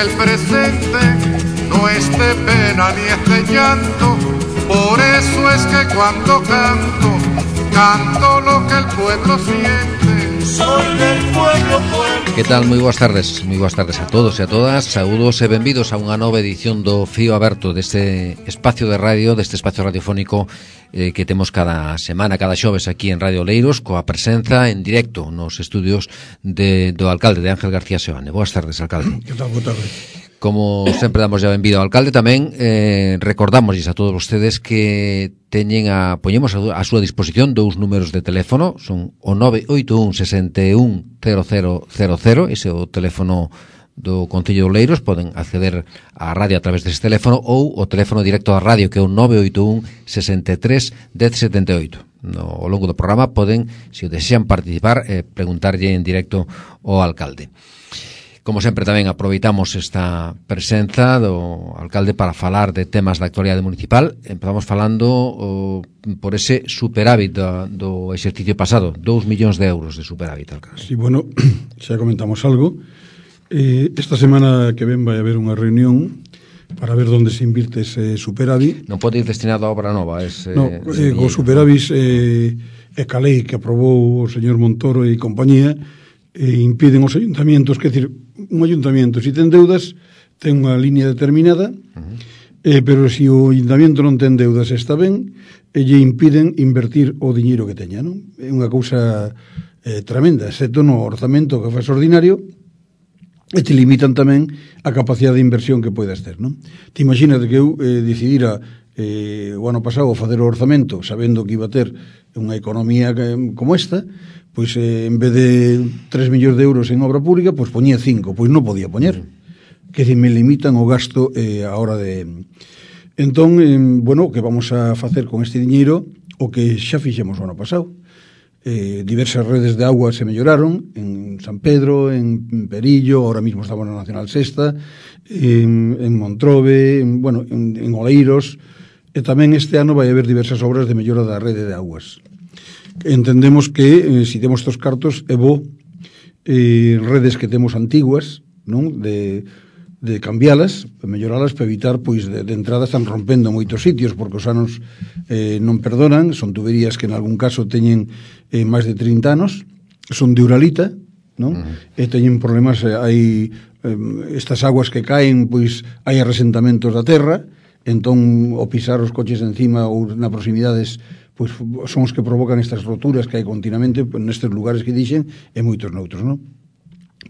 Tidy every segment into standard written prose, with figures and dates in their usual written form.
el presente no es de pena ni es de llanto. Por eso es que cuando canto, canto lo que el pueblo siente. Soy del pueblo, pueblo. Que tal? Moi boas tardes a todos e a todas. Saúdos e benvidos a unha nova edición do Fío Aberto, deste espacio de radio, deste espacio radiofónico que temos cada semana, cada xoves aquí en Radio Oleiros, coa presenza en directo nos estudios do alcalde, de Ángel García Seoane. Boas tardes, alcalde. Que tal? Boa tarde. Como sempre damos ya benvido ao alcalde, tamén recordamosles a todos vostedes que poñemos a súa disposición dous números de teléfono, son o 981 61 0000, ese é o teléfono do Concello de Oleiros, poden acceder á radio a través dese teléfono, ou o teléfono directo da radio, que é o 981 63 1078. Ao longo do programa poden, se o desean participar, preguntarlle en directo ao alcalde. Como sempre, tamén aproveitamos esta presenza do alcalde para falar de temas da actualidade municipal. Empezamos falando por ese superávit do exercicio pasado, 2 millóns de euros de superávit, alcalde. Sí, bueno, xa comentamos algo. Esta semana que ven vai haber unha reunión para ver onde se invirte ese superávit. Non pode ir destinado a obra nova. O superávit é ca lei que aprobou o señor Montoro e compañía, impiden os ayuntamientos, que decir, un ayuntamiento, se ten deudas, ten unha línea determinada, pero se o ayuntamiento non ten deudas, está ben, e lle impiden invertir o diñeiro que teña, non? É unha cousa tremenda, excepto no orzamento que faz ordinario, e te limitan tamén a capacidade de inversión que podes ter, non? Te imaginas que eu decidira o ano pasado facer o orzamento sabendo que iba a ter unha economía como esta, pois en vez de 3 millóns de euros en obra pública, pois poñía 5, pois non podía poñer. Que se me limitan o gasto a hora de... Entón, bueno, que vamos a facer con este diñeiro o que xa fixemos o ano pasado. Diversas redes de agua se melloraron en San Pedro, en Perillo, ahora mismo estamos na Nacional Sexta, en Montrobe, en Oleiros, e tamén este ano vai haber diversas obras de mellora da rede de aguas. Entendemos que se temos estos cartos é bo redes que temos antiguas, non? De cambialas, melloralas para evitar pois de entrada están rompendo moitos sitios porque os anos non perdonan, son tuberías que en algún caso teñen máis de 30 anos, son de uralita, non? E teñen problemas, hai estas aguas que caen, pois hai arresentamentos da terra, entón o pisar os coches encima ou na proximidades, pois son os que provocan estas roturas que hai continuamente nestes lugares que dixen e moitos noutros, non?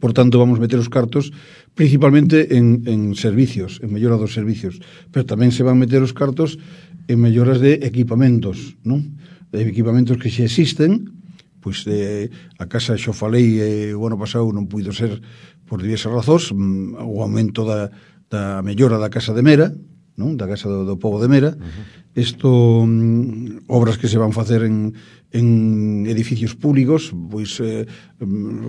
Por tanto, vamos meter os cartos principalmente en servicios, en mellora dos servicios, pero tamén se van meter os cartos en melloras de equipamentos, non? De equipamentos que xa existen, pois a casa xo falei o ano pasado non puido ser por diversas razóns, o aumento da mellora da casa de Mera, non? Da casa do pobo de Mera. Isto, obras que se van facer en edificios públicos, pois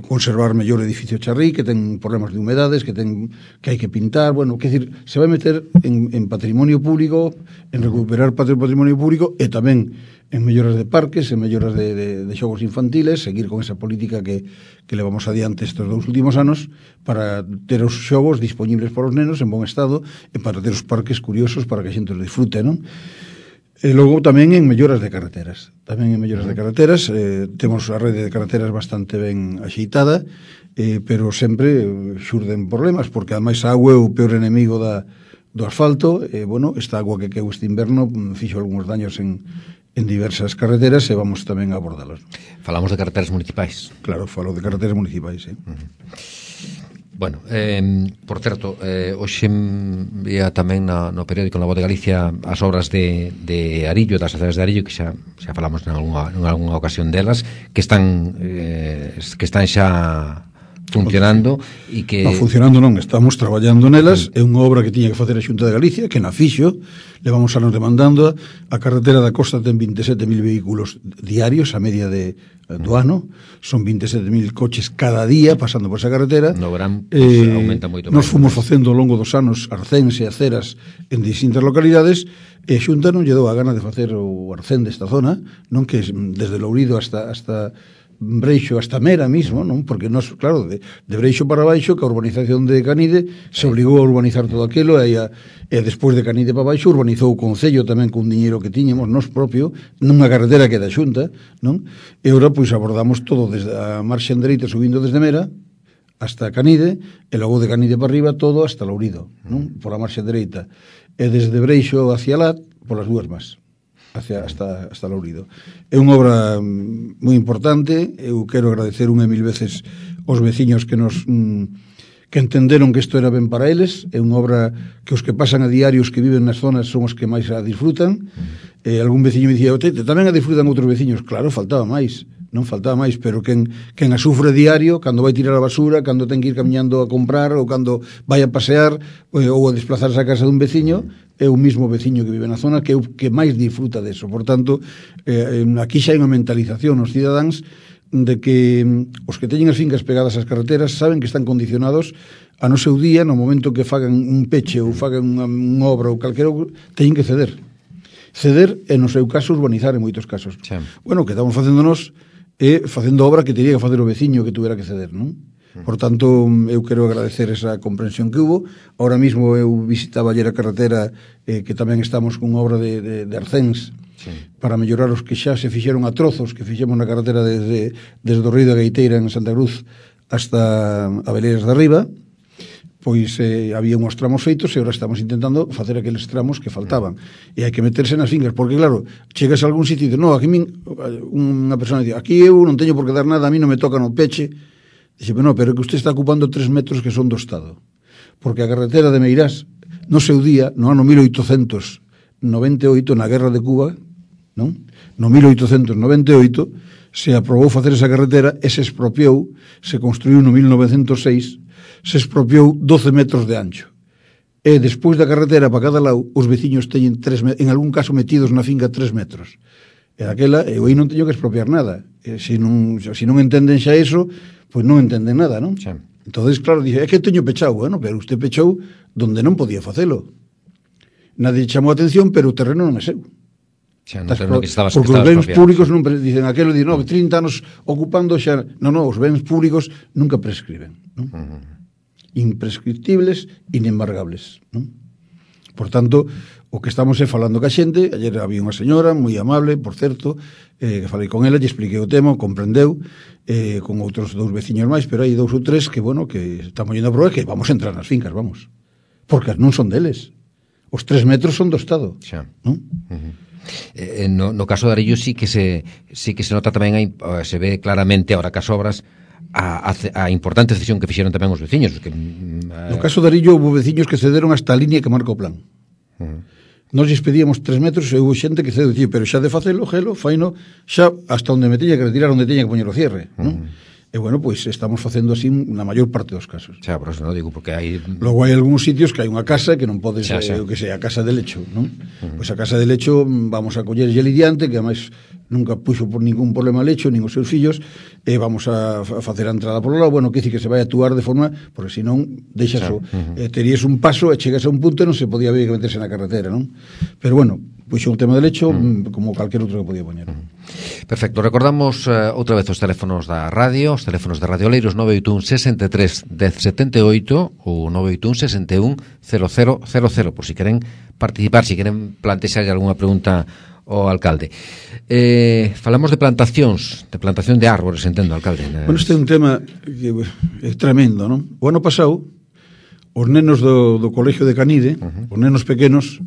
conservar mellor edificio Charrí, que ten problemas de humedades, que hai que pintar, quer dizer, se vai meter en patrimonio público, en recuperar patrimonio público, e tamén en melloras de parques, en melloras de xogos infantiles, seguir con esa política que levamos adiante estes 2 últimos anos, para ter os xogos disponibles para os nenos en bon estado, e para ter os parques curiosos para que a xente os disfrute, non? E logo tamén en melloras de carreteras. Temos a rede de carreteras bastante ben axeitada, pero sempre xurden problemas, porque ademais a auga é o peor enemigo do asfalto. Esta agua que queu este inverno fixo algúns daños en diversas carreteras e vamos tamén a abordalas. Falamos de carreteras municipais. Claro, falo de carreteras municipais, Bueno, por certo, hoxe vía tamén no periódico, na Voz de Galicia, as obras de Arillo, das aceras de Arillo, que xa falamos en algunha ocasión delas, que están xa funcionando e que... Non, funcionando non, estamos traballando nelas. É unha obra que tiña que facer a Xunta de Galicia, que na fixo, levamos anos demandando. A carretera da costa ten 27.000 vehículos diarios a media do ano, son 27.000 coches cada día pasando por esa carretera. No verán, aumenta moito máis. Nos fomos facendo ao longo dos anos arcéns e aceras en distintas localidades, e a Xunta non lle dou a gana de facer o arcén desta zona, non, que desde Lourido hasta Breixo hasta Mera mismo, non? Porque nos, claro, de Breixo para baixo, que a urbanización de Canide se obligou a urbanizar todo aquilo, e despois de Canide para baixo urbanizou o Concello tamén con diñeiro que tiñemos, nos propio, nunha carretera que é da Xunta, non? E ora, pois, abordamos todo desde a marxa dereita subindo desde Mera hasta Canide, e logo de Canide para arriba todo hasta Lourido, non? Por a marxa dereita. E desde Breixo hacia Lat, polas dúas más, hasta Lourido. É unha obra moi importante. Eu quero agradecer unha e mil veces aos veciños que nos que entenderon que isto era ben para eles. É unha obra que os que pasan a diarios, que viven nas zonas, son os que máis a disfrutan. Algún veciño me dicía, tamén a disfrutan outros veciños. Claro, faltaba máis, non faltaba máis, pero quen a sufre diario, cando vai tirar a basura, cando ten que ir camiñando a comprar, ou cando vai a pasear, ou a desplazarse a casa dun veciño, é o mismo veciño que vive na zona que é o que máis disfruta deso. Por tanto, aquí xa hai unha mentalización nos cidadáns de que os que teñen as fincas pegadas ás carreteras saben que están condicionados a no seu día, no momento que fagan un peche ou fagan unha obra ou calquera, teñen que ceder. Ceder, e no seu caso, urbanizar en moitos casos. Sí. Bueno, que estamos facéndonos facendo obra que teria que facer o veciño que tuvera que ceder, non? Por tanto, eu quero agradecer esa comprensión que hubo. Ahora mismo eu visitaba ayer a carretera, que tamén estamos con obra de arcéns, sí, para mellorar os que xa se fixeron a trozos, que fixemos na carretera desde o Río da Gaiteira en Santa Cruz hasta a Veleiras de Arriba. Pois había uns tramos feitos e agora estamos intentando facer aqueles tramos que faltaban. E hai que meterse nas fincas, porque claro, chegas a algún sitio e dices, no, aquí unha persona dice, aquí eu non teño por que dar nada, a mí non me toca no peche. Dice, no, pero que usted está ocupando 3 metros que son do Estado. Porque a carretera de Meirás, no seu día, no ano 1898, na Guerra de Cuba, non? No 1898, se aprobou facer esa carretera e se expropiou, se construiu no 1906, se expropiou 12 metros de ancho. E despois da carretera para cada lado, os veciños teñen en algún caso metidos na finca 3 metros. E daquela, eu aí non teño que expropiar nada. Se non entenden xa eso, pois non entenden nada, non? Sí. Entonces, claro, dice, é que teño pechado, bueno, pero usted pechou donde non podía facelo. Nadie chamou a atención, pero o terreno non é seu. Xa, no que porque os bens públicos non dicen aquelo, dicen, no, 30 anos ocupando xa, non, os bens públicos nunca prescriben, non? Imprescriptibles, inembargables, non? Por tanto, o que estamos falando ca xente. Ayer había unha señora moi amable, por certo, que falei con ela, lle expliquei o tema, comprendeu, con outros 2 veciños máis, pero hai 2 ou 3 que, bueno, que estamos yendo a probar que vamos a entrar nas fincas, vamos, porque non son deles, os 3 metros son do Estado, non? No caso de Arillo sí que se nota tamén, se ve claramente ahora que as obras a importante decisión que fixeron tamén os veciños que, no caso de Arillo houve veciños que cederon hasta a línea que marca o plan. Nos lles pedíamos 3 metros e houve xente que cedeu, pero xa de facelo, faino xa hasta onde me teña que retirar, onde teña que poñer o cierre, non? E bueno, pois estamos facendo así na maior parte dos casos. Xa, por eso non digo, porque hai... Logo hai algúns sitios que hai unha casa que non podes, o que sea, a casa de lecho, non? Pois a casa de lecho vamos a coller lle lidiante, que ademais nunca puxo por ningún problema lecho, nin os seus fillos, e vamos a facer a entrada por lado, bueno, que dice que se vai a actuar de forma, porque senón deixas terías un paso e chegas a un punto e non se podía ver que meterse na carretera, non? Pero bueno, puxo un tema de lecho como calquer outro que podía poñer. Perfecto, recordamos outra vez os teléfonos da radio, os teléfonos de Radio Oleiros, 981 63 1078 ou 981 61 0000, por si queren participar, si queren plantexar algunha pregunta ao alcalde. Falamos de plantacións, de plantación de árbores, entendo, alcalde. Bueno, este é un tema que é tremendo, non? O ano pasado, os nenos do colegio de Canide, os nenos pequenos,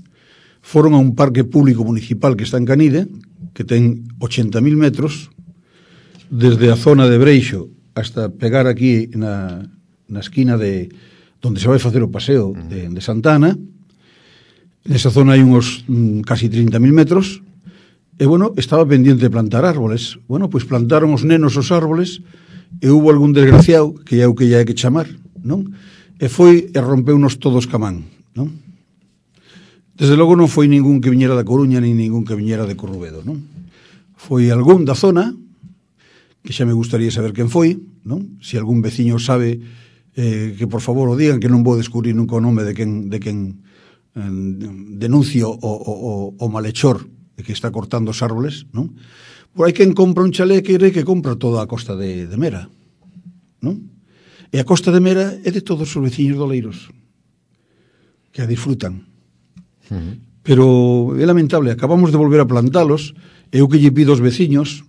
foron a un parque público municipal que está en Canide, que ten 80.000 metros, desde a zona de Breixo hasta pegar aquí na esquina de donde se vai facer o paseo de Santana. Nesa zona hai uns casi 30.000 metros, e bueno, estaba pendiente de plantar árboles. Bueno, pois plantaron os nenos os árboles, e hubo algún desgraciado, que é o que lle hai que chamar, non? E foi e rompeunos todos camán, non? Desde logo non foi ningún que viñera da Coruña, nin ningún que viñera de Corrubedo, non? Foi algún da zona, que xa me gustaría saber quen foi, non? Se algún veciño sabe, que por favor o digan, que non vou descubrir nunca o nome de quen denuncio o malhechor que está cortando os árboles, non? Por hai quen compra un chalé que compra toda a costa de Mera, non? E a costa de Mera é de todos os veciños de Oleiros, que a disfrutan. Pero é lamentable, acabamos de volver a plantalos, e eu que lle pido aos veciños,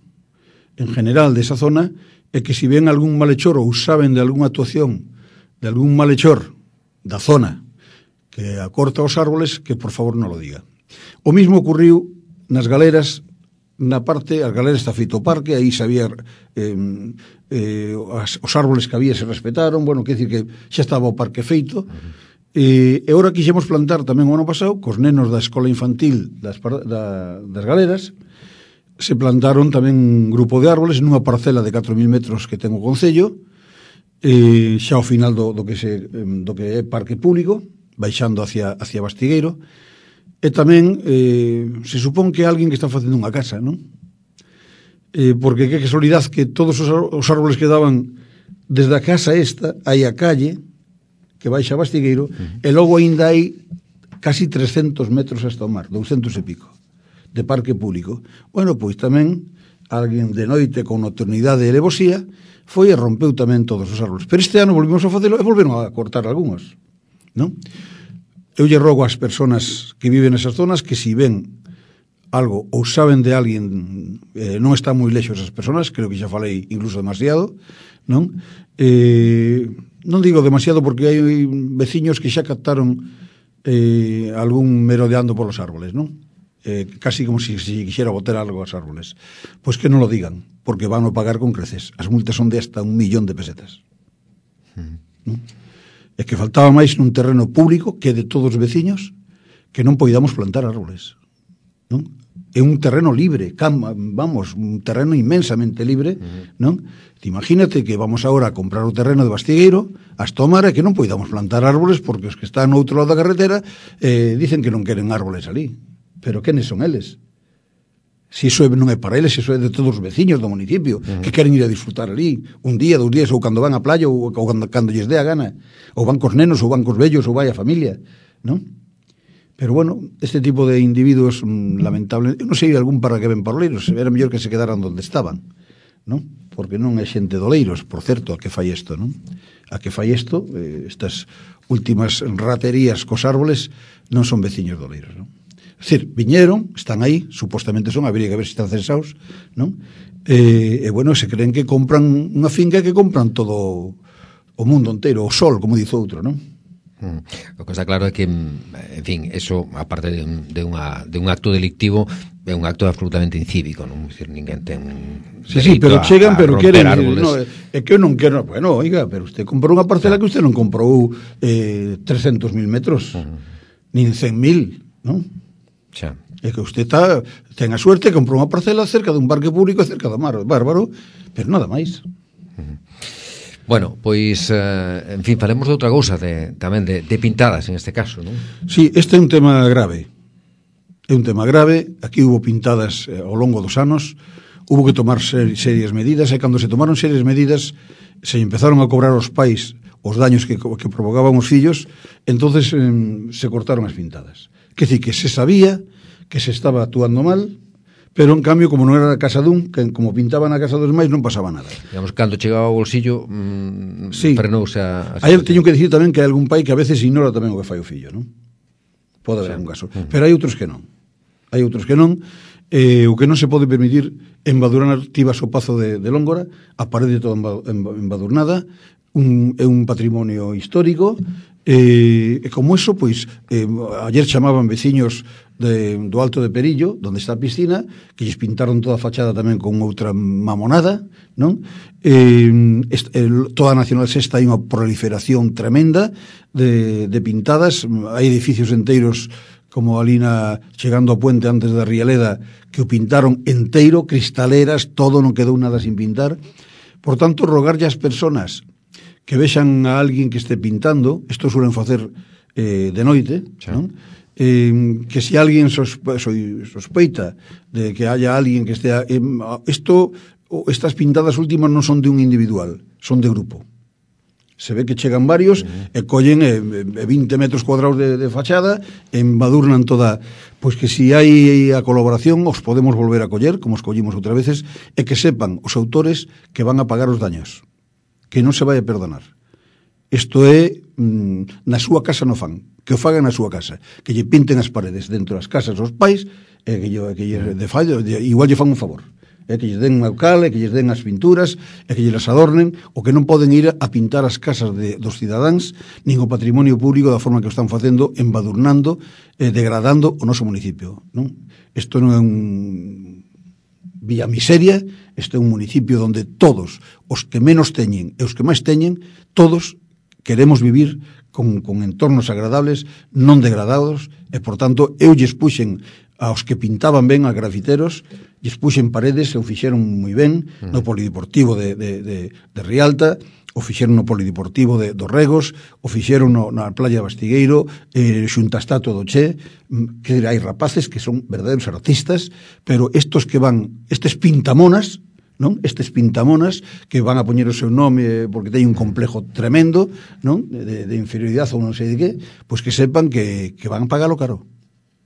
en general, desa zona, é que si ven algún malhechor ou saben de algunha actuación de algún malhechor da zona que acorta os árboles, que por favor non lo diga. O mismo ocurriu nas galeras, na parte, as galeras está feito o parque, aí sabía os árboles que había se respetaron, bueno, quer dicir que xa estaba o parque feito, e agora quixemos plantar tamén o ano pasado, cos nenos da escola infantil das galeras, se plantaron tamén un grupo de árboles nunha parcela de 4.000 metros que ten o Concello, xa ao final do que é parque público, baixando hacia Bastigueiro, e tamén se supón que é alguén que está facendo unha casa, non? Porque que casualidade que todos os árboles que daban desde a casa esta, hai a calle que baixa a Bastigueiro, e logo ainda hai casi 300 metros hasta o mar, 200 e pico, de parque público. Bueno, pois tamén alguén de noite con nocturnidade e levosía foi e rompeu tamén todos os árboles. Pero este ano volvimos a facelo e volveron a cortar algúns, non? Eu lle rogo ás persoas que viven nesas zonas que si ven algo ou saben de alguén, non están moi lexos as persoas, creo que xa falei incluso demasiado, non? Non digo demasiado porque hai veciños que xa captaron algún merodeando polos árboles, non? Casi como si quixera botar algo aos árboles. Pois que non lo digan, porque van a pagar con creces. As multas son de hasta 1 millón de pesetas. Non? É que faltaba máis nun terreno público que é de todos os veciños que non poidamos plantar árboles, non? É un terreno libre, vamos, un terreno inmensamente libre, non? Imagínate que vamos agora a comprar o terreno de Bastigueiro, as tomar e que non poidamos plantar árboles porque os que están no outro lado da carretera dicen que non queren árboles ali. Pero quenes son eles? Si iso non é para eles, iso é de todos os veciños do municipio que queren ir a disfrutar ali un día, 2 días, ou cando van á playa ou cando lles dé a gana, ou van cos nenos, ou van cos vellos, ou vai a familia, non? Pero bueno, este tipo de individuos lamentable, eu non sei algún para que ven para Oleiros, era mellor que se quedaran onde estaban, non? Porque non é xente de Oleiros, por certo, a que fai isto, non? A que fai isto, estas últimas raterías cos árboles non son veciños de Oleiros, non? É dicir, viñeron, están aí, supostamente son, habría que ver se están censados, non? E bueno, se creen que compran unha finca que compran todo o mundo inteiro, o sol, como dice outro, non? O que está claro é que, en fin, eso, aparte de un acto delictivo, é un acto absolutamente incívico, non? Dicir, ninguén ten sí, pero chegan, pero queren, no, é que eu non quero, bueno, oiga, pero usted comprou unha parcela que usted non comprou 300.000 metros, nin 100.000, non? Xa. É que usted ten a suerte, comprou unha parcela cerca dun parque público e cerca do mar, bárbaro, pero nada máis. Bueno, pois, en fin, falemos de outra cousa, tamén de pintadas, en este caso, non? Sí, este é un tema grave. É un tema grave, aquí hubo pintadas ao longo dos anos, hubo que tomar serias medidas, e cando se tomaron serias medidas, se empezaron a cobrar aos pais os daños que provocaban os fillos, entonces se cortaron as pintadas. Que dicir, que se sabía que se estaba actuando mal, pero en cambio, como non era a casa dun, que como pintaban a casa dos máis, non pasaba nada. Digamos, cando chegaba ao bolsillo, sí. Frenouse a aí teño que dicir tamén que hai algún pai que a veces ignora tamén o que fai o fillo, non? Pode haber algún caso. Pero hai outros que non. Hai outros que non. O que non se pode permitir embadurnar, tivas o Pazo de Lóngora, a parede toda embadurnada, é un patrimonio histórico, e como eso, pois, ayer chamaban veciños do Alto de Perillo, onde está a piscina, que lles pintaron toda a fachada tamén con outra mamonada, non? Toda a Nacional Sexta hai unha proliferación tremenda de pintadas, hai edificios enteiros como ali chegando ao puente antes da Rialeda, que o pintaron enteiro, cristaleras, todo, non quedou nada sin pintar. Por tanto, rogarlle ás persoas que vexan a alguén que este pintando, isto suelen facer de noite, non? Que se alguén sospeita de que haya alguén que estea... Estas pintadas últimas non son de un individual, son de grupo. Se ve que chegan varios e collen 20 metros cuadrados de fachada e embadurnan toda. Pois que si hai a colaboración os podemos volver a coller, como os collimos outras veces, e que sepan os autores que van a pagar os daños, que non se vai a perdonar. Isto é na súa casa no fan, que o fagan na súa casa, que lle pinten as paredes dentro das casas os pais, e que lle de fallo, igual lle fan un favor. Que lles den o cal, que lles den as pinturas, e que lles adornen, o que non poden ir a pintar as casas dos cidadáns, nin o patrimonio público da forma que o están facendo, embadurnando, degradando o noso municipio. Isto non é un Villa Miseria, isto é un municipio onde todos, os que menos teñen e os que máis teñen, todos queremos vivir con entornos agradables, non degradados, e, por tanto, eu lles puxen aos que pintaban ben, a grafiteros, lles puxen paredes e o fixeron moi ben no polideportivo de Rialta, o fixeron no polideportivo dos Regos, o fixeron na playa de Bastigueiro, xunta a estatua do Che, que hai rapaces que son verdadeiros artistas, pero estes pintamonas, non? Estes pintamonas que van a poñer o seu nome porque teñen un complejo tremendo, non? De inferioridade ou non sei de que, pois que sepan que van a pagalo caro.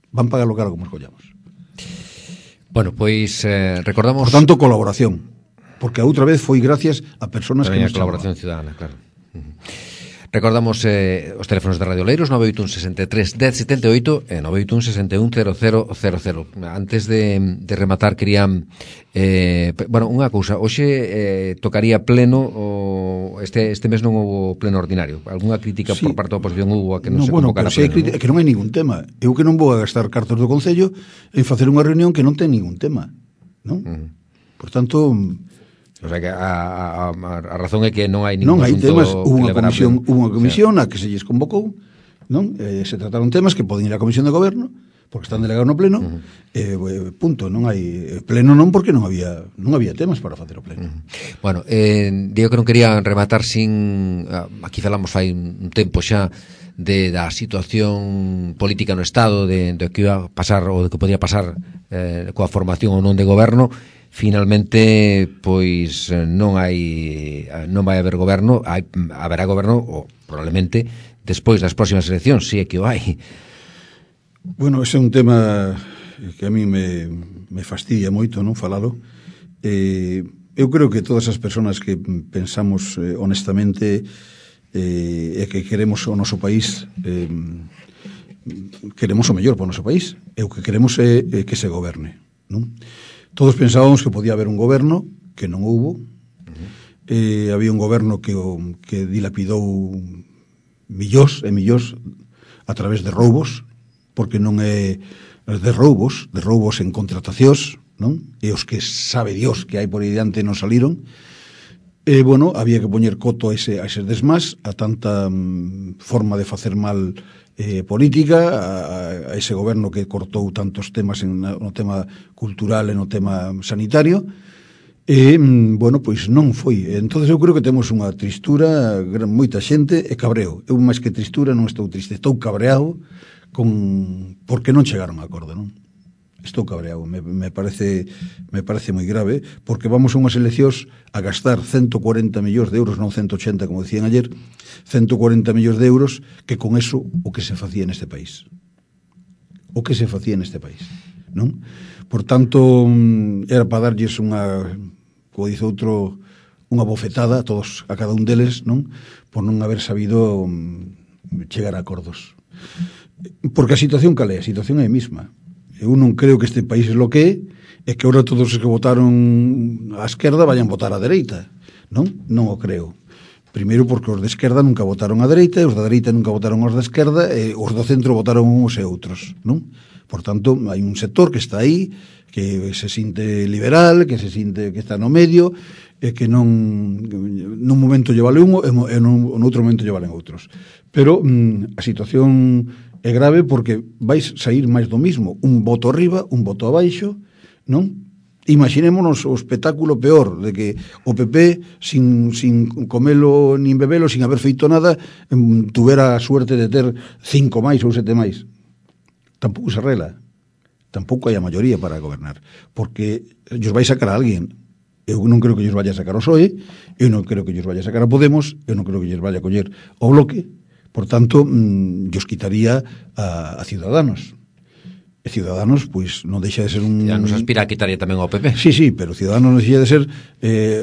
Van a pagarlo caro como escollamos. Bueno, pois recordamos... Por tanto, colaboración. Porque a outra vez foi gracias a personas que nos colaboración ciudadana, claro. Recordamos os teléfonos de Radio Oleiros 981 63 1078 e 981 61 0000. Antes de rematar quería unha cousa, hoxe tocaría pleno este mes non houve pleno ordinario. Algúna crítica por parte da oposición houve a que non se convocara pleno? É que non hai ningún tema. Eu que non vou a gastar cartas do Concello en facer unha reunión que non ten ningún tema, non? Por tanto... O sea que a razón é que non hai ningún asunto temas, hubo unha comisión a que se lles convocou, non? Se trataron temas que poden ir á Comisión de Goberno, porque están delegados no pleno, punto, non hai pleno non porque non había temas para facer o pleno. Bueno, digo que non quería rematar sin aquí falamos fai un tempo xa da situación política no Estado, de que iba a pasar ou de que podía pasar coa formación ou non de goberno. Finalmente, pois non vai haber goberno, haberá goberno, ou probablemente, despois das próximas eleccións, si é que o hai. Bueno, ese é un tema que a mí me fastidia moito, non falalo. Eu creo que todas as persoas que pensamos honestamente e que queremos o noso país, queremos o mellor para o noso país, e o que queremos é que se goberne, non? Todos pensábamos que podía haber un goberno, que non houbo. Había un goberno que dilapidou millóns e millóns a través de roubos, porque non é de roubos en contratacións, non? E os que sabe Dios que hai por aí diante non saliron. Bueno, había que poñer coto a eses desmás, a tanta forma de facer mal política, a ese goberno que cortou tantos temas no tema cultural e no tema sanitario, bueno, pois non foi. Entonces eu creo que temos unha tristura, moita xente, e cabreo. Eu máis que tristura non estou triste, estou cabreado porque non chegaron a acordo, non? Estou cabreado, me parece moi grave, porque vamos a unhas eleccións a gastar 140 millóns de euros, non 180 como decían ayer, 140 millóns de euros, que con eso o que se facía neste país. O que se facía neste país, non? Por tanto, era para darlles como dice outro, unha bofetada a cada un deles, non? Por non haber sabido chegar a acordos. Porque a situación cal é? A situación é a mesma. Eu non creo que este país é lo que é que ahora todos os que votaron á esquerda vayan votar á dereita, non? Non o creo. Primeiro porque os de esquerda nunca votaron á dereita e os da dereita nunca votaron aos da esquerda e os do centro votaron uns e outros, non? Por tanto, hai un sector que está aí, que se sinte liberal, que se sinte que está no medio e que nun momento lle vale un e nun outro momento lle valen outros. Pero a situación é grave porque vais sair máis do mismo, un voto arriba, un voto abaixo, non? Imaginémonos o espectáculo peor de que o PP sin comelo nin bebelo, sin haber feito nada, tuvera a suerte de ter 5 máis ou 7 máis. Tampouco se arregla, tampouco hai a maioría para gobernar, porque ellos vai sacar a alguén, Eu non creo que lles vaya a sacar o PSOE, eu non creo que lles vaya a sacar a Podemos, eu non creo que lles vaya a coller o Bloque, por tanto, lles quitaría a Ciudadanos. E Ciudadanos, pois, non deixa de ser un... Ciudadanos aspira a quitaría tamén ao PP. Sí, pero Ciudadanos non deixa de ser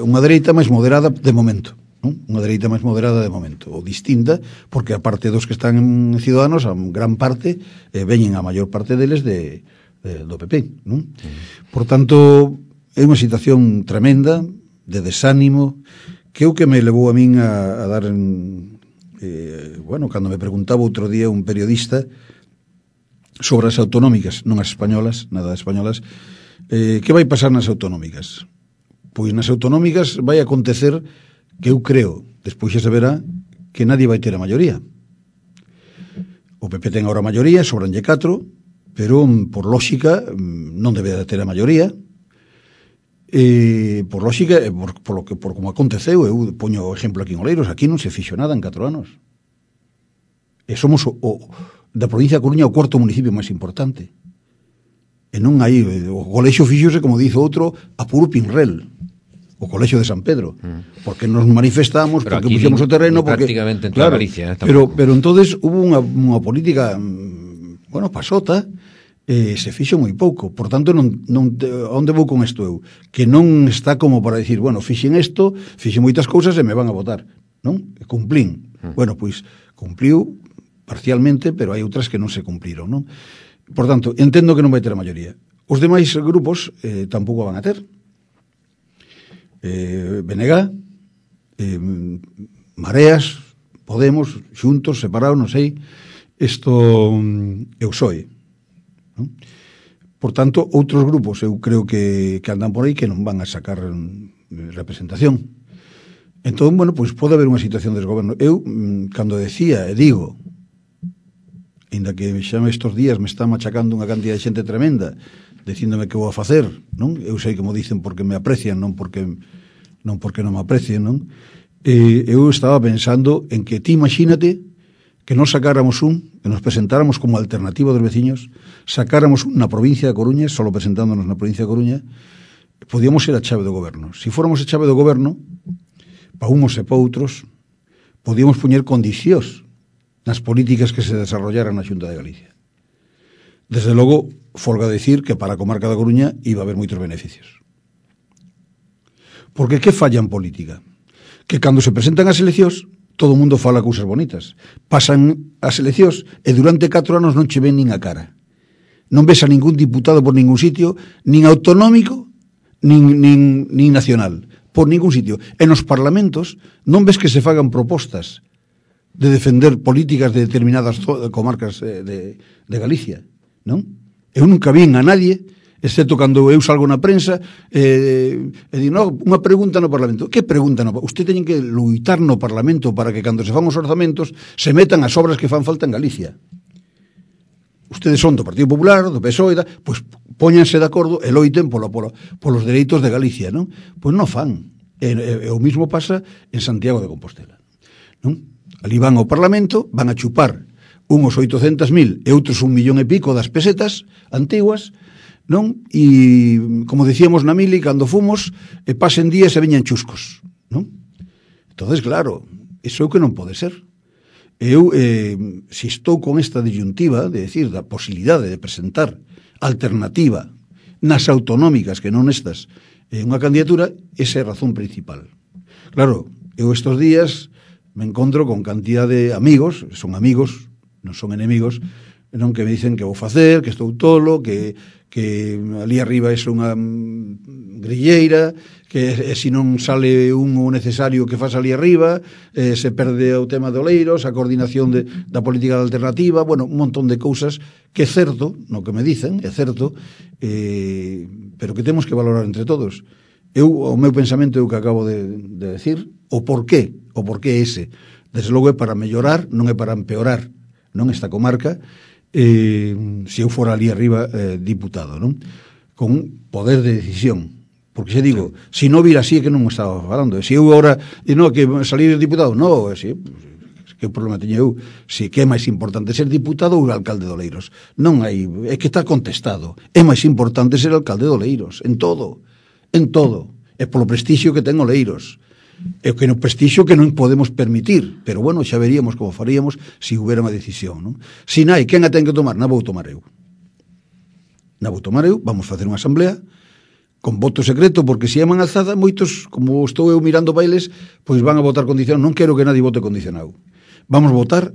unha dereita máis moderada de momento, non? Unha dereita máis moderada de momento, ou distinta, porque a parte dos que están en Ciudadanos, a gran parte, veñen a maior parte deles do PP, non? Por tanto, é unha situación tremenda, de desánimo, que é o que me levou a min a dar cando me preguntaba outro día un periodista sobre as autonómicas, non as españolas, nada de españolas, que vai pasar nas autonómicas? Pois nas autonómicas vai acontecer que eu creo, despois xa se verá, que nadie vai ter a maioría. O PP ten agora a maioría, sobranlle 4, pero por lógica non debe de ter a maioría. Por lógica, por como aconteceu, eu poño o exemplo aquí en Oleiros, aquí non se fixo nada en 4 anos. E somos da provincia de Coruña o cuarto municipio máis importante. E non hai, o colexio fixose, como dice outro, a puro pinrel, o colexio de San Pedro, porque nos manifestamos, pero porque puxemos o terreno, porque prácticamente en toda Galicia, pero entonces hubo unha política, pasota, se fixo moi pouco, por tanto onde vou con isto eu? Que non está como para dicir, fixen isto, fixen moitas cousas e me van a votar, non? Cumplín. Pois cumpliu parcialmente, pero hai outras que non se cumpliron, non? Por tanto, entendo que non vai ter a maioría. Os demais grupos tampouco van a ter. BNG, Mareas, Podemos, xuntos, separados, non sei, isto é o PSOE. Non? Por tanto, outros grupos eu creo que andan por aí que non van a sacar representación. Entón, pois pode haber unha situación de desgoberno. Eu, cando decía e digo, ainda que xa estes días me está machacando unha cantidad de xente tremenda, dicíndome que vou a facer, non? Eu sei que mo dicen porque me aprecian, non porque non me aprecien, non? Eu estaba pensando en que ti imagínate que nos sacáramos que nos presentáramos como alternativa dos veciños, sacáramos na provincia de Coruña, solo presentándonos na provincia de Coruña, podíamos ser a chave do goberno. Se fóramos a chave do goberno, pa uns e pa outros, podíamos poñer condicións nas políticas que se desarrollaran na Xunta de Galicia. Desde logo, folga decir que para a comarca da Coruña iba a haber moitos beneficios. Porque que falla en política? Que cando se presentan as eleccións, todo o mundo fala cousas bonitas. Pasan as eleccións e durante 4 anos non che ven nin a cara. Non ves a ningún diputado por ningún sitio, nin autonómico, nin nacional, por ningún sitio. En os parlamentos non ves que se fagan propostas de defender políticas de determinadas comarcas de Galicia, non? Eu nunca vin a nadie, excepto cando eu salgo na prensa, e digo, unha pregunta no Parlamento. Que pregunta no Parlamento? Usted teñen que luitar no Parlamento para que cando se fan os orzamentos se metan as obras que fan falta en Galicia. Ustedes son do Partido Popular, do PSOE, pois póñanse de acordo e loiten polos dereitos de Galicia, non? Pois non fan. E o mismo pasa en Santiago de Compostela, non? Ali van ao Parlamento, van a chupar uns 800.000 e outros 1 millón e pico das pesetas antiguas, non? E, como decíamos na mili, cando fomos, pasen días e veñan chuscos, non? Entonces, claro, iso é o que non pode ser. Eu, se estou con esta disyuntiva, de decir, da posibilidade de presentar alternativa nas autonómicas, que non estas, unha candidatura, esa é a razón principal. Claro, eu estes días me encontro con cantidad de amigos, son amigos, non son enemigos, non, que me dicen que vou facer, que estou tolo, que ali arriba é unha grilleira, que se non sale o necesario que faz ali arriba, se perde o tema de Oleiros, a coordinación da política alternativa, un montón de cousas que é certo, no que me dicen, é certo, pero que temos que valorar entre todos. O meu pensamento é o que acabo de decir, o porqué ese. Desde logo é para mellorar, non é para empeorar, non, esta comarca, se eu fora ali arriba diputado, non? Con poder de decisión. Porque xe digo, se non vira así é que non estaba falando. Se eu agora, que salir diputado, non, que problema teño eu? Se que é máis importante ser diputado ou alcalde de Oleiros? Non hai, é que está contestado. É máis importante ser alcalde de Oleiros, en todo. e polo prestixio que ten Oleiros, e que no prestixio que non podemos permitir, pero bueno, xa veríamos como faríamos se houbera unha decisión, non? Si nai, quen a ten que tomar? Na vou tomar eu. Vamos facer unha asamblea con voto secreto, porque se é man alzada, moitos, como estou eu mirando bailes, pois van a votar condicionado. Non quero que nadie vote condicionado. Vamos votar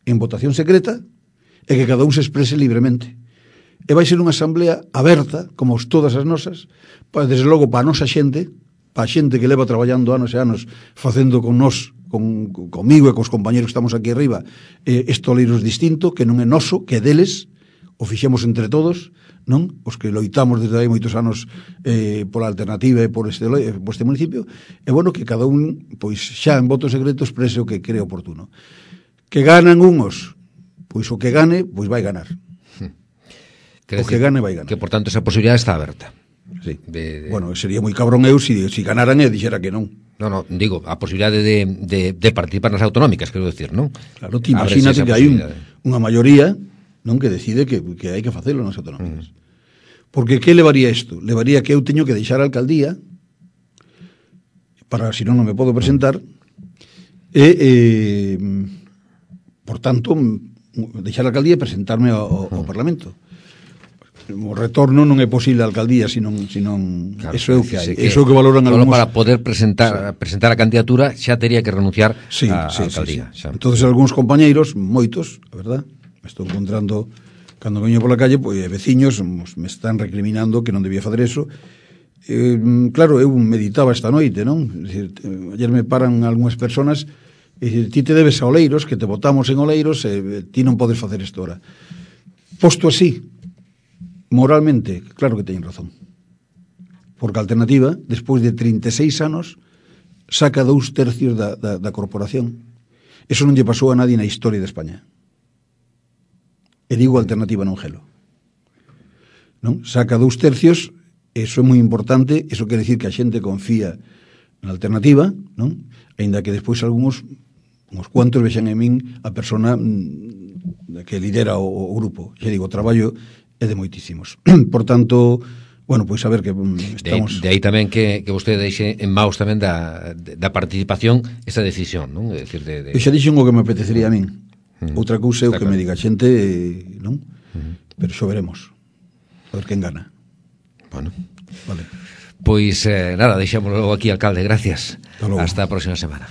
en votación secreta e que cada un se exprese libremente. E vai ser unha asamblea aberta, como todas as nosas, desde logo para a nosa xente, para a xente que leva traballando anos e anos facendo con nós, comigo e cos compañeros que estamos aquí arriba, este Oleiros distinto, que non é noso, que é deles, o fixemos entre todos, non? Os que loitamos desde hai moitos anos pola alternativa e por este municipio, e bueno, que cada un, pois xa en voto secreto exprese o que cree oportuno. Que ganan unhos, pois o que gane, pois vai ganar. O que gane vai ganar. Que, por tanto, esa posibilidade está aberta. Sí. Bueno, sería moi cabrón eu si ganaran e dixera que non. No, digo, a posibilidade de participar nas autonómicas, quero decir, non? Claro, ti imagínate que hai unha maioría, non, que decide que hai que facelo nas autonómicas. Porque que levaría isto? Levaría que eu teño que deixar a alcaldía, para, si non me podo presentar, e por tanto, deixar a alcaldía e presentarme ao Parlamento. O retorno non é posible a alcaldía, senón claro, eso é o que hai. Eso é o que valoran algúns. Para poder presentar a candidatura xa tería que renunciar á alcaldía. Sí. Entonces algúns compañeiros, moitos, a verdad, me estou encontrando cando veño pola calle, pois veciños me están recriminando que non debía fazer eso. Claro, eu meditaba esta noite, non? Ayer me paran algunhas personas e ti te debes a Oleiros, que te votamos en Oleiros, e ti non podes facer isto ahora. Posto así, moralmente, claro que teñen razón. Porque a alternativa, despois de 36 anos, saca 2/3 da corporación. Eso non lle pasou a nadie na historia de España. E digo alternativa non gelo. Non? Saca 2/3, eso é moi importante, eso quere decir que a xente confía na alternativa, non? Ainda que despois algúns, uns cuantos vexan en min a persona que lidera o grupo. Xa digo, o traballo é de moitísimos. Por tanto, bueno, pois saber que estamos... De aí tamén que vostede deixe en maus tamén da participación esa decisión, non? É dicir, Eu xa dixen o que me apetecería a min. Outra cousa é o que me diga a xente, non? Pero xo veremos. A ver quen gana. Bueno. Vale. Pois nada, deixámoslo aquí, alcalde, gracias. Hasta a próxima semana.